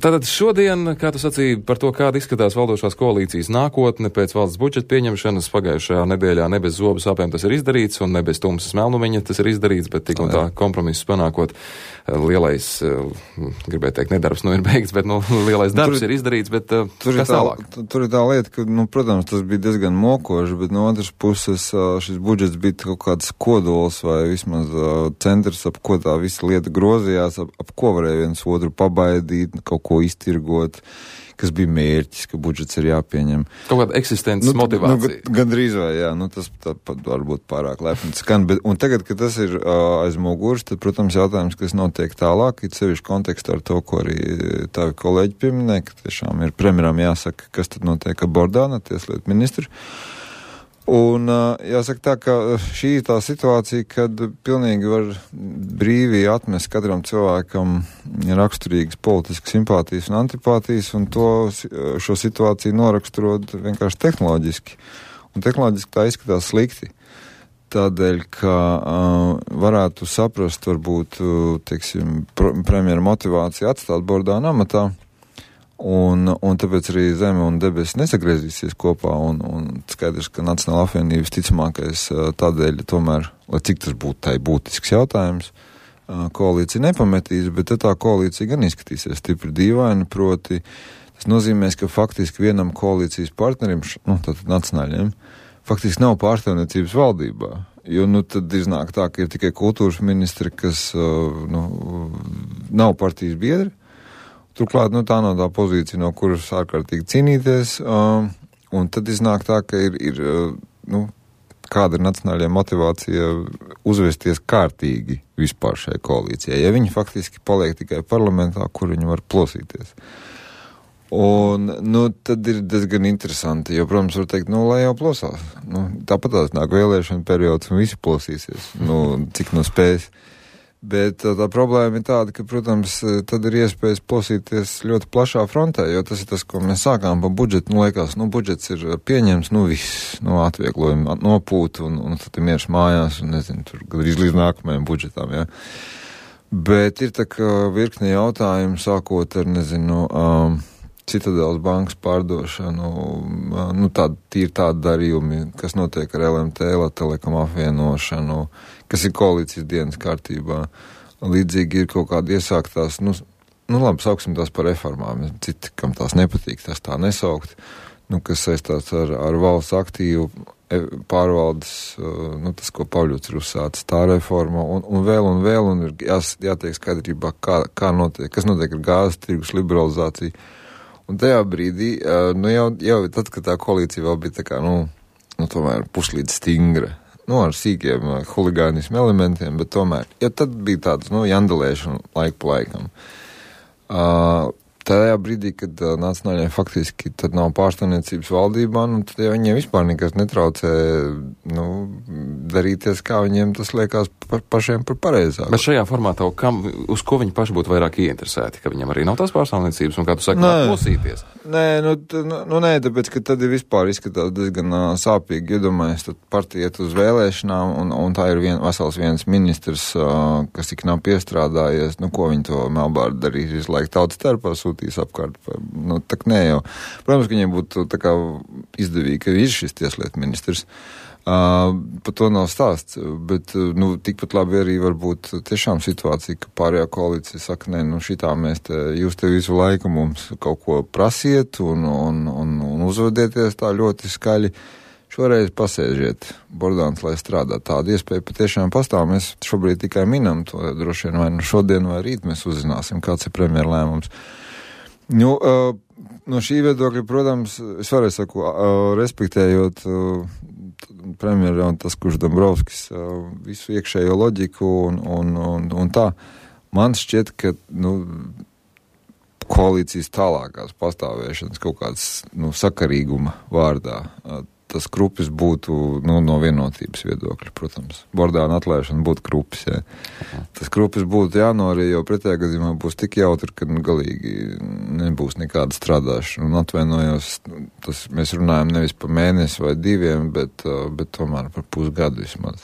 Tātad šodien, kā tu sacīji par to, kāda izskatās valdošās koalīcijas nākotne pēc valsts budžeta pieņemšanas pagājušajā nedēļā, ne bez zobu sāpēm tas ir izdarīts, un ne bez tumsas melnumiņa tas ir izdarīts, bet tik un tā kompromiss panākot lielais, gribēju teikt, nedarbs ir beigts, bet lielais darbs ir izdarīts, bet kas tālāk? Tur ir tā lieta, ka, protams, tas bija diezgan mokoši, bet no otras puses šis budžets bija kaut kāds kodols vai vismaz centrs, ap ko tā visa lieta grozījās, ap ko varēja viens otru pabaidīt, kaut ko iztirgot, kas bija mērķis, ka budžets ir jāpieņem. Kaut kāda eksistences motivācija. Gandrīz vai, jā, tas varbūt pārāk lepni skan, un tagad, kad tas ir aiz muguras, tad, protams, jautājums, kas notiek tālāk, ir sevišķi kontekstā ar to, ko arī tavi kolēģi pieminēja, ka tiešām ir premjeram jāsaka, kas tad notiek ar Bordānu, tieslietu ministru. Un jāsaka tā, ka šī ir tā situācija, kad pilnīgi var brīvi atmest katram cilvēkam raksturīgas politiskas simpātijas un antipātijas, un šo situāciju noraksturot vienkārši tehnoloģiski. Un tehnoloģiski tā izskatās slikti. Tādēļ, ka varētu saprast, varbūt, teiksim, premjera motivāciju atstāt Bordānu amatā, un tāpēc arī zeme un debesis nesagriezīsies kopā, un skaidrs, ka Nacionāla apvienības ticamākais tādēļ tomēr, lai cik tas būtu tai būtisks jautājums, koalīcija nepametīs, bet tā koalīcija gan izskatīsies stipri dīvaini, proti tas nozīmēs, ka faktiski vienam koalīcijas partnerim, tātad nacionāļiem, faktiski nav pārstāvniecības valdībā, jo tad iznāk tā, ka ir tikai kultūras ministri, kas nav partijas biedri. Turklāt, tā nav tā pozīcija, no kuras ārkārtīgi cīnīties, un tad iznāk tā, ka ir kāda ir nacionālajā motivācija uzvesties kārtīgi vispār šai koalīcijai, ja viņi faktiski paliek tikai parlamentā, kur viņi var plosīties. Un, tad ir diezgan interesanti, jo, protams, var teikt, lai jau plosās. Tāpat tās nāk vēlēšana periods un visi plosīsies, cik spējas. Bet tā problēma ir tāda, ka, protams, tad ir iespējas plosīties ļoti plašā frontē, jo tas ir tas, ko mēs sākām par budžetu. Liekas, budžets ir pieņems, viss, atvieglojumi nopūt, un tad ir miers mājās, un nezinu, tur gandrīz līdz nākamajam budžetam, jā. Bet ir tā kā virkne jautājumu, sākot ar, nezinu, Citadelas bankas pārdošanu, tādi darījumi, kas notiek ar LMT, Telekom apvienošanu, kas ir koalīcijas dienas kārtībā. Līdzīgi ir kaut kādi iesāktās, labi, sauksim tās par reformām, citi, kam tās nepatīk, tās tā nesaukt, kas saistās ar valsts aktīvu pārvaldes, tas, ko Pavļots ir uzsācis, tā reforma, un vēl, un ir jātiek skaidrībā, kas notiek ar gāzes tirgus liberalizāciju. Un tajā brīdī, jau tad, kad tā koalīcija vēl bija tā kā, tomēr puslīdz stingra, ar sīkiem huligānismu elementiem, bet tomēr, jau tad bija tāds, jandelēšana laiku pa laikam. Tajā brīdī, kad nacionāļiem faktiski tad nav pārstāvniecības valdībā, tad jau viņiem vispār nekas netraucē, darīties, kā viņiem tas liekas pašiem par pareizāk. Bet šajā formātā, uz ko viņi paši būtu vairāk ieinteresēti, ka viņiem arī nav tās pārstāvniecības, un kā tu saki, plosīties? Nē, tāpēc, ka tad ir vispār izskatās diezgan sāpīgi, iedomājies, tad partija iet uz vēlēšanām, un tā ir vesels viens ministrs, kas tik nav piestrādājies, ko viņi to melbārdu darīs visu laiku tautas starpā sūtīs apkārt. Tak nē jau. Protams, ka viņiem būtu tā kā izdevīgi, ka ir šis tieslietu ministrs. Par to nav stāsts, bet tikpat labi arī var būt tiešām situācija, ka pārējā koalīcija saka, nē, šitā jūs te visu laiku mums kaut ko prasiet un uzvedieties tā ļoti skaļi. Šoreiz pasēžiet Bordāns, lai strādā. Tāda iespēja patiešām pastāv. Mēs šobrīd tikai minam to, droši vien vai šodien vai rīt mēs uzzināsim, kāds ir premjera lēmums. No šī viedokļa, protams, es varēju saku, respektējot premjeru un tas, kurš Dombrovskis visu iekšējo loģiku un tā, man šķiet, ka, koalīcijas tālākās pastāvēšanas kaut kāds, sakarīguma vārdā, tas krupis būtu, no vienotības viedokļa, protams. Bordāna atlaišana būtu krupis, jā. Tas krupis būtu jānorī, jo pretējā gadījumā būs tik jautri, ka galīgi nebūs nekāda strādāšana. Un atvainojos, mēs runājam nevis par mēnesi vai diviem, bet tomēr par pusgadu vismaz.